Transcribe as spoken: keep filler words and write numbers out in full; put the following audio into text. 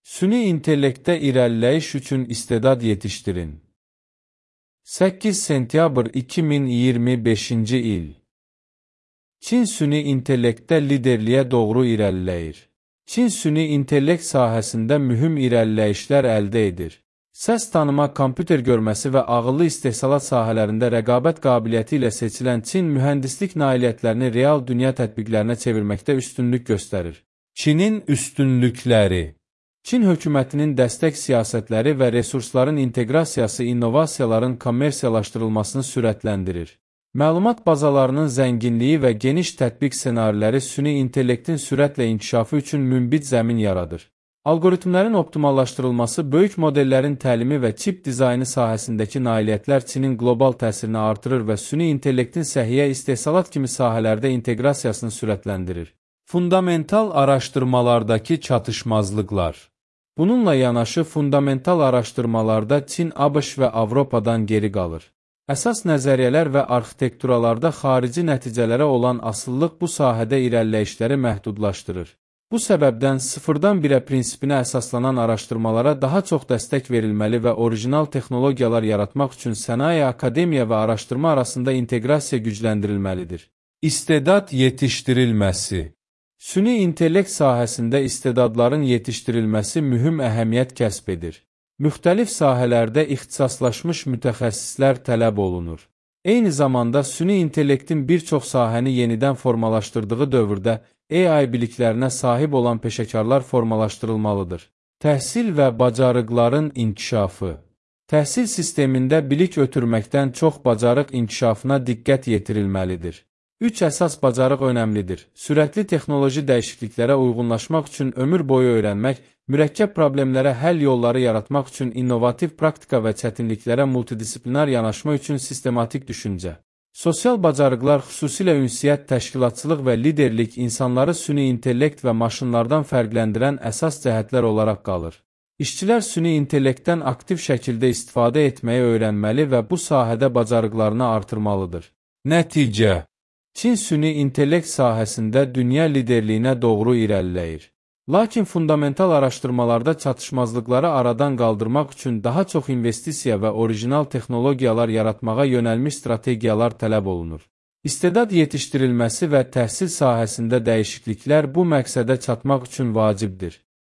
Süni intellektdə irəliləyiş üçün istedad yetişdirin. səkkiz sentyabr iki min iyirmi beşinci il. Çin süni intellektdə liderliyə doğru irəliləyir. Çin süni intellekt sahəsində mühüm irəliləyişlər əldə edir. Səs tanıma, kompüter görməsi və ağıllı istehsalat sahələrində rəqabət qabiliyyəti ilə seçilən Çin mühəndislik nailiyyətlərini real dünya tətbiqlərinə çevirməkdə üstünlük göstərir. Çinin üstünlükləri. Çin hökumətinin dəstək siyasətləri və resursların inteqrasiyası innovasiyaların kommersiyalaşdırılmasını sürətləndirir. Məlumat bazalarının zənginliyi və geniş tətbiq ssenariləri süni intellektin sürətlə inkişafı üçün münbit zəmin yaradır. Algoritmlərin optimallaşdırılması, böyük modellərin təlimi və çip dizaynı sahəsindəki nailiyyətlər Çinin qlobal təsirini artırır və süni intellektin səhiyyə istehsalat kimi sahələrdə inteqrasiyasını sürətləndirir. Fundamental araşdırmalardakı çatışmazlıqlar. Bununla yanaşı, fundamental araşdırmalarda Çin, ABŞ və Avropadan geri qalır. Əsas nəzəriyyələr və arxitekturalarda xarici nəticələrə olan asıllıq bu sahədə irəliləyişləri məhdudlaşdırır. Bu səbəbdən sıfırdan birə prinsipinə əsaslanan araşdırmalara daha çox dəstək verilməli və orijinal texnologiyalar yaratmaq üçün sənaye, akademiya və araşdırma arasında inteqrasiya gücləndirilməlidir. İstedad yetişdirilməsi. Süni intellekt sahəsində istedadların yetişdirilməsi mühüm əhəmiyyət kəsb edir. Müxtəlif sahələrdə ixtisaslaşmış mütəxəssislər tələb olunur. Eyni zamanda süni intellektin bir çox sahəni yenidən formalaşdırdığı dövrdə A I biliklərinə sahib olan peşəkarlar formalaşdırılmalıdır. Təhsil və bacarıqların inkişafı. Təhsil sistemində bilik ötürməkdən çox bacarıq inkişafına diqqət yetirilməlidir. Üç əsas bacarıq önəmlidir. Sürətli texnoloji dəyişikliklərə uyğunlaşmaq üçün ömür boyu öyrənmək, mürəkkəb problemlərə həll yolları yaratmaq üçün innovativ praktika və çətinliklərə multidisiplinar yanaşma üçün sistematik düşüncə. Sosial bacarıqlar, xüsusilə ünsiyyət, təşkilatçılıq və liderlik insanları süni intellekt və maşınlardan fərqləndirən əsas cəhətlər olaraq qalır. İşçilər süni intellektdən aktiv şəkildə istifadə etməyi öyrənməli və bu sahədə bacarıqlarını artırmalıdır. Nəticə. Çin süni intellekt sahəsində dünya liderliyinə doğru irəliləyir. Lakin fundamental araşdırmalarda çatışmazlıqları aradan qaldırmaq üçün daha çox investisiya və orijinal texnologiyalar yaratmağa yönəlmiş strategiyalar tələb olunur. İstedad yetişdirilməsi və təhsil sahəsində dəyişikliklər bu məqsədə çatmaq üçün vacibdir.